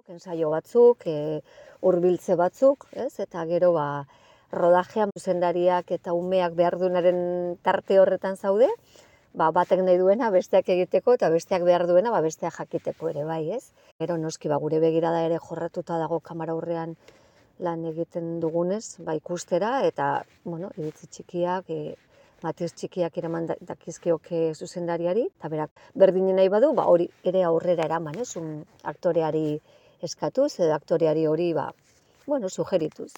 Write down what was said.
ensaio batzuk, hurbiltze batzuk, ez? Eta gero rodajean zuzendariak eta umeak behar duenaren tarte horretan zaude, batek nahi duena besteak egiteko eta besteak behar duena besteak jakiteko ere bai, ez? Gero noski gure begirada ere jorratuta dago kamera aurrean lan egiten dugunez, ikustera eta, iritzi txikiak, matiz txikiak eraman dakizkioke zuzendariari, eta berak berdinen nahi badu, hori ere aurrera eraman, aktoreari eskatuz, edo aktoreari hori, sugerituz.